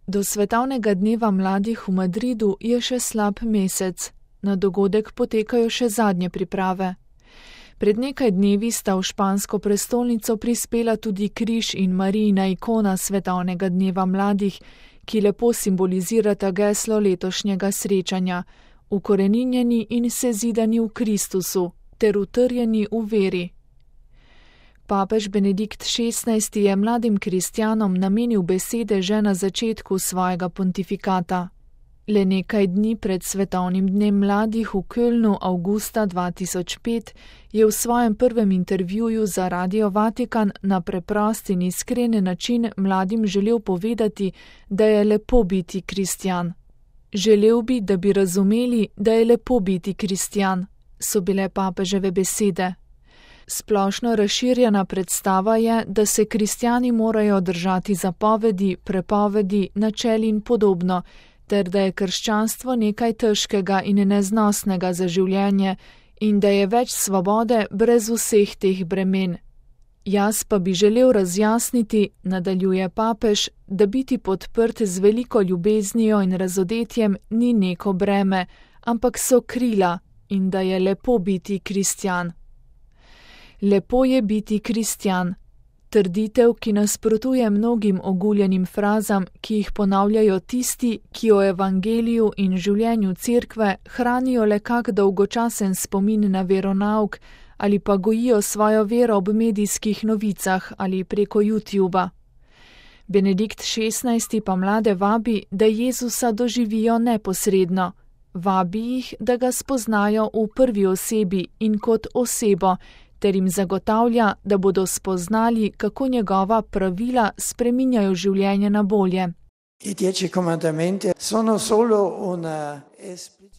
Do svetovnega dneva mladih v Madridu je še slab mesec. Na dogodek potekajo še zadnje priprave. Pred nekaj dnevi sta v špansko prestolnico prispela tudi križ in Marijina ikona svetovnega dneva mladih, ki lepo simbolizirata geslo letošnjega srečanja, ukoreninjeni in sezidani v Kristusu ter utrjeni v veri. Papež Benedikt XVI je mladim kristjanom namenil besede že na začetku svojega pontifikata. Le nekaj dni pred svetovnim dnem mladih v Kölnu avgusta 2005 je v svojem prvem intervjuju za Radio Vatikan na preprost in iskren način mladim želel povedati, da je lepo biti kristjan. Želel bi, da bi razumeli, da je lepo biti kristjan, so bile papeževe besede. Splošno razširjena predstava je, da se kristjani morajo držati zapovedi, prepovedi, načel in podobno, ter da je krščanstvo nekaj težkega in neznosnega za življenje in da je več svobode brez vseh teh bremen. Jaz pa bi želel razjasniti, nadaljuje papež, da biti podprt z veliko ljubeznijo in razodetjem ni neko breme, ampak so krila in da je lepo biti kristjan. Lepo je biti kristjan. Trditev, ki nasprotuje mnogim oguljenim frazam, ki jih ponavljajo tisti, ki o evangeliju in življenju cerkve hranijo le kak dolgočasen spomin na veronauk ali pa gojijo svojo vero ob medijskih novicah ali preko YouTuba. Benedikt XVI pa mlade vabi, da Jezusa doživijo neposredno. Vabi jih, da ga spoznajo v prvi osebi in kot osebo, ter jim zagotavlja, da bodo spoznali, kako njegova pravila spreminjajo življenje na bolje.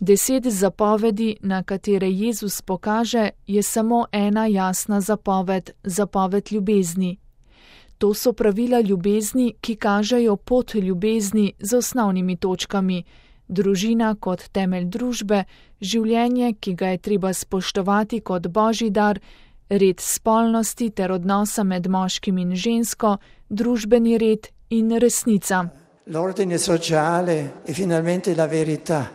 10 zapovedi, na katere Jezus pokaže, je samo ena jasna zapoved, zapoved ljubezni. To so pravila ljubezni, ki kažejo pot ljubezni z osnovnimi točkami. Družina kot temelj družbe, življenje, ki ga je treba spoštovati kot božji dar, red spolnosti ter odnosa med moškim in žensko, družbeni red in resnica. L'ordine sociale e finalmente la verità.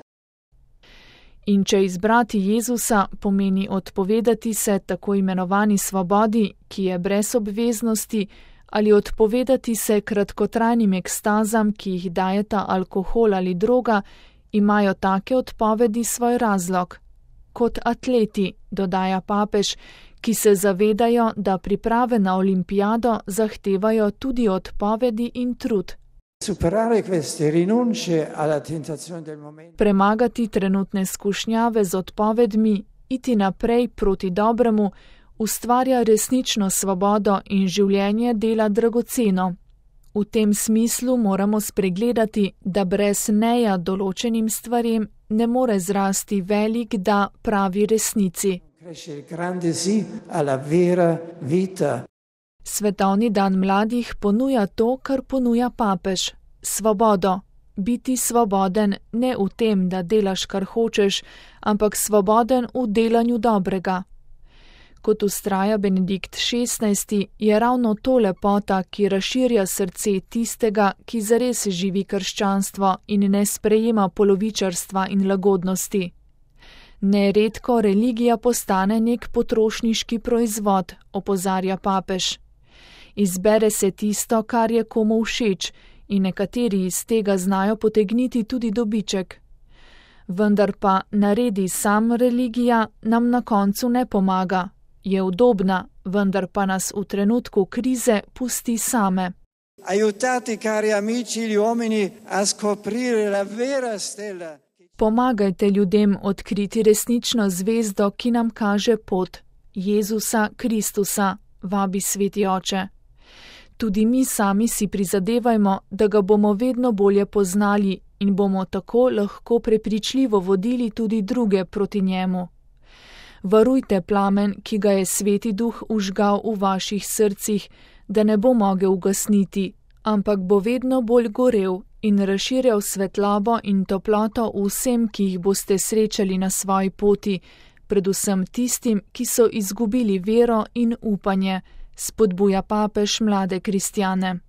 In če izbrati Jezusa pomeni odpovedati se tako imenovani svobodi, ki je brez obveznosti, ali odpovedati se kratkotrajnim ekstazam, ki jih dajeta alkohol ali droga, imajo take odpovedi svoj razlog. Kot atleti, dodaja papež, ki se zavedajo, da priprave na olimpijado zahtevajo tudi odpovedi in trud. Premagati trenutne skušnjave z odpovedmi, iti naprej proti dobremu, ustvarja resnično svobodo in življenje dela dragoceno. V tem smislu moramo spregledati, da brez neja določenim stvarem ne more zrasti velik da pravi resnici. Svetovni dan mladih ponuja to, kar ponuja papež, svobodo. Biti svoboden ne v tem, da delaš, kar hočeš, ampak svoboden v delanju dobrega. Kot vztraja Benedikt XVI, je ravno to lepota, ki razširja srce tistega, ki zares živi krščanstvo in ne sprejema polovičarstva in lagodnosti. Neredko religija postane nek potrošniški proizvod, opozarja papež. Izbere se tisto, kar je komu všeč, in nekateri iz tega znajo potegniti tudi dobiček. Vendar pa naredi sam religija nam na koncu ne pomaga. Je udobna, vendar pa nas v trenutku krize pusti same. Aiutate, cari amici, gli uomini a scoprire la vera stella. Pomagajte ljudem odkriti resnično zvezdo, ki nam kaže pot, Jezusa Kristusa, vabi Sveti Oče. Tudi mi sami si prizadevajmo, da ga bomo vedno bolje poznali in bomo tako lahko prepričljivo vodili tudi druge proti njemu. Varujte plamen, ki ga je Sveti Duh vžgal v vaših srcih, da ne bo mogel ugasniti, ampak bo vedno bolj gorel in razširjal svetlobo in toploto vsem, ki jih boste srečali na svoji poti, predvsem tistim, ki so izgubili vero in upanje, spodbuja papež mlade kristjane.